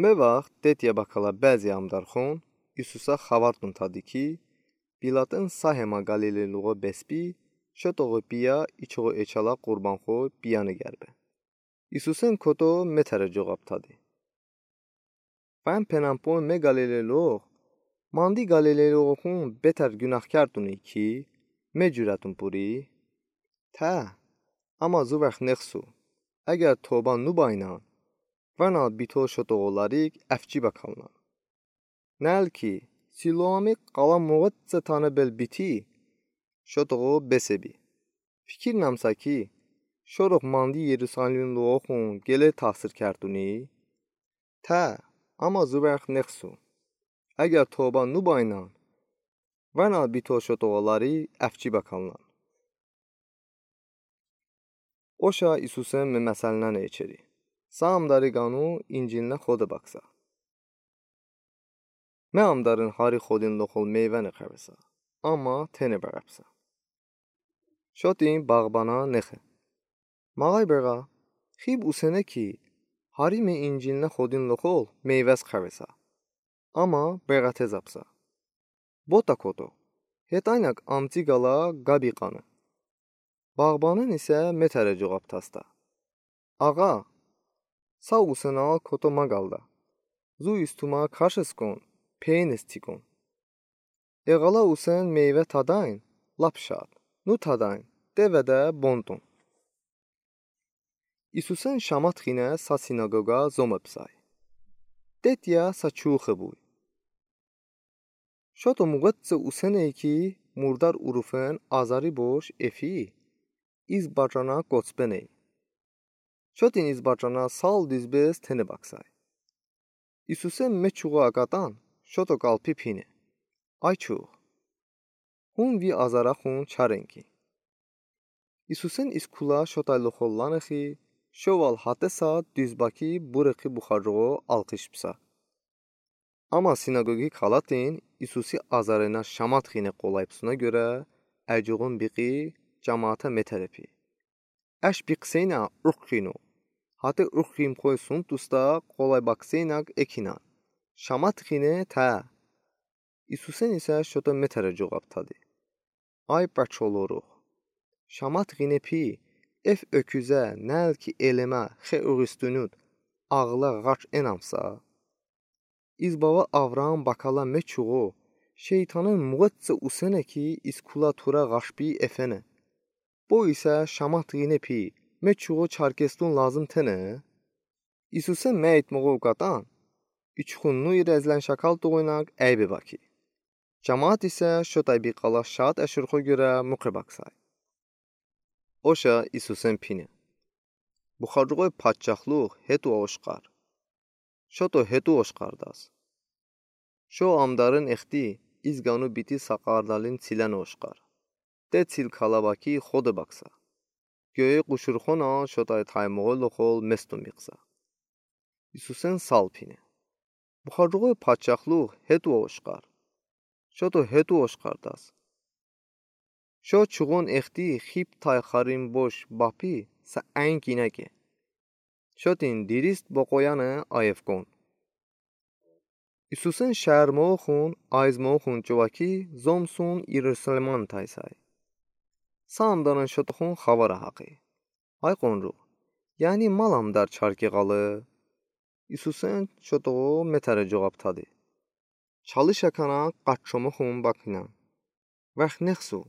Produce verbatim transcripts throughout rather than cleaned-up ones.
Mı vaxt Tetiyə bəkələ bəzi amdarxon İsusə xəbər tutun tadı ki, Pilatın sa hemə Qalilelıoxo bəsbi, şotoğu piyə İçoğu eçələ qurbanxo piyəni qərbe. İsusən koto metərə coğab tadı: Vən penən poy me Qalilelıox, mandi Qalilelıoxon betər ğunahkar tuni ki, me curətın puri? Tə, əmma zu vəx nexsu. Əgər tobə nubəynən, vənəl bito şotoğu larik əfçi bəkəlnən. Nəl ki, Siloami qala moğəçsə tanə bel biti, şotoğu besebi. Fikirnəmsə ki, şorox mandi Yerusalimlıoxon qılə təsir kərtuni? Tə, əmma zu vəx nexsu. Əgər tobə nubəynən, vənəl bito şotoğu larik əfçi bəkəlnən. Oşə İsusən me məsəlnən eçeri. Sa amdari qanu İncilinə xodə baksa. Me amdarın hari xodınlıoxol meyvəni xəvəsə, əmma tene bəğəbsə. Şotin bağbanə nexə. Mağəy bəğə, xib usənə ki, hari me İncilinə xodınlıoxol meyvəs xəvəsə, əmma bəğətezəbsə. Botə koto, hetəynək əmçi qala ğəbi qanı. Bağbanın isə metərə coğab tastə: Ağa, sa usənə koto məqaldə. Zu istumə kaşıskon, peynıs tikon. Eğələ usən meyvə tadayn, lap şad. Nutadayn, dəvədə bontun. İsusən şamat xinə sa sinagoqə zomebsəy. Tetiyə sa çuxi buy. Şoto muğəçsə usənəy ki, murdar urufen azari boş efi, iz bacanə qoçbenəy. Şotin iz bacanə sal dizbez tene baksəy. İsusən me çuğu aqətən, şoto qalpi pine: Ay çuğ, hun vi azarəxun çarenki. İsusən iz kula şotaylıoxol lanexi, şoval hətə saat dizbə ki, burexi buxacoğo alqış bısə. Əmma sinagoqi kəlatin İsusi azarınə şamat xinə qolay bısunə görə, əcoğun biqi camaatə metərəpi. Əş biqseynə urx xinu. Hətə urx ximxoy sunt usta qolay bakseynək ekinən. Şamat xinə tə. İsusən isə şoto metərə coğab tadı: Ay bəçoloruğ, şamat xinə pi, ef öküzə, nəl ki elemə, xe uğustunut, ağılə ğaç enəmsə? İz bava Avraam bəkələ me çuğu, şeytanın muğəçsə usənə ki, iz kula turə ğaşbi efenə. Bo isə şamat xinə pi, me çuğu çarkestun lazım tenə? İsusən me aytmoğu uqətən, içxunnu irəzlən şəkal tuğunəq əybe baki. Camaat isə şotay biqala şaat əşırxo görə muqe baksəy. Oşə İsusən pine: Buxacoğoy padşahlığ hetu oşqar. Şoto hetu oşqardəz. Şo amdarın exti iz qanu biti saqardalin çilən oşqar. De çil kəlabaki xodə baksə. Göy quşurxonən şotay taymoğoy loxol mestun biqsə. İsusən sal pine: Buxacoğoy padşahlığ hetu oşqar. Şoto hetu oşqardəz. Şo çuğun exti xib tay xarin boş bapi sə əynki nəkə. Şotin dirist boqoyəni ayefkon. İsusən şəhrmoxun, ayzmoxun çuvə ki, zomsun İrosalimon taysəy. Sa amdarın şotoxun xəvərə haqi: Ay qoncu, yəni mal amdar çarki ğalı? İsusən şotoxu metərə coğab tadı: Çalışəkənə qaç çomoxun bakinən. Vəx nexsu,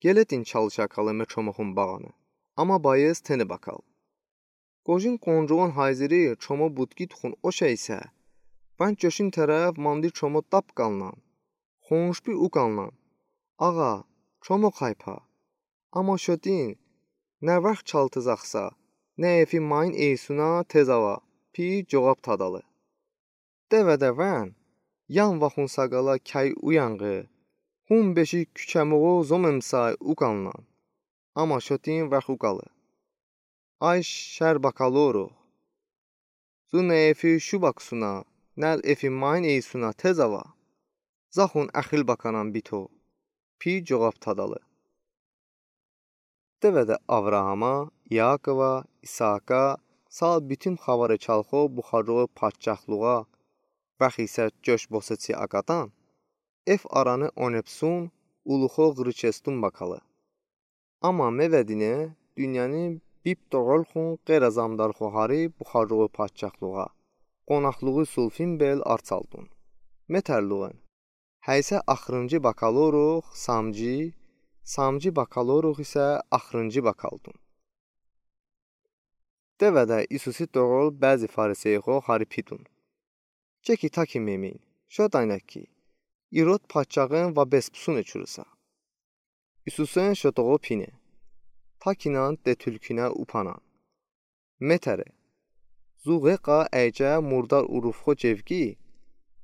qeletin çalışəkələ me çomoxun bağanə, əmma bayez tene bəkəl. Qocin qoncuğun hayziri çomo butki tuxun oşə isə, vən coşin tərəf mandi çomo tap qalnən, xonşbi uqalnən: Ağa, çomo qaypə. Əmma şotin: Nə vəx çaltızaxsa, nə efi mayn eysunə tezəvə, pi coğab tadalı. Dəvədə vən, yan vaxun səqala kəy uyanğı, hun beşi kuçəmoğu zomemsəy uqalnən. Əmma şotin vəx uqalı: Ay şər bəkəloruğ, zu nə efi şu baksunə, nəl efi mayn eysunə tezəvə. Zaxun əxil bəkənən bito, pi coğab tadalı. Dəvədə Avraama, İakova, İsaaka, Sal bütün Xavare çalxo Buxaroğu padşahlığa vəx isə coş boseçi akatan, ev aranı onepsun, uluxo ğırıçesdun bakalı. Amma mevədinə dünyanı bip toğolxun qeyr-azamdarxo hari Buxaroğu padşahlığa qonaxlığı sulfin bel artsaldun. Metərluğun. Həysə axırıncı bakaloruq samcı, samcı bakaloruq isə axırıncı bakaldun. Devədə İsusi toğol bəzi fariseyxo hari pidun. Çəki taki memin, şo daynəki, İrod padşahın və bespsune çurısa. İsusin şo toğo pine. Takinan de tülkünə upanan. Metəre. Zu ğeqa əycə murdar urufxo cevqi,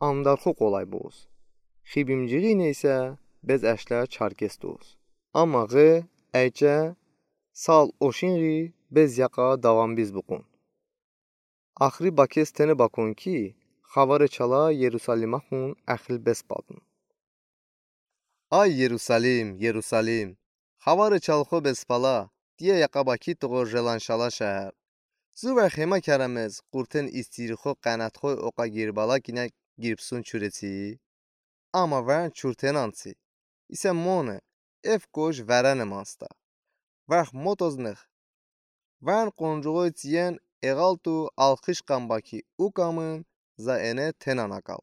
amdarxo qolay boz. Xibimciği neysə bez əşlə çarkes doz. Amma ğe əycə sal oşinği bez yaqa davanbiz buqun. Axri bakes tene bakon ki, Xavare çala Yerusaliməxun əxil bespaldın. Ay Yerusalim, Yerusalim, Xavare çalxo bespala, diyə yaqa baki toğo jelan şala şəhər. Zu vəx hemə kərəmez qurten istirixo qənətxoy oqa girbala kinə girbsun çurəçi. Amma vən çurtenansi. İsə mone, ev koş vərəne mansta. Vəx motoznıx. Vən qoncuğoy çiyən eğaltu alxış qan baki ukamın za ene tenan akal.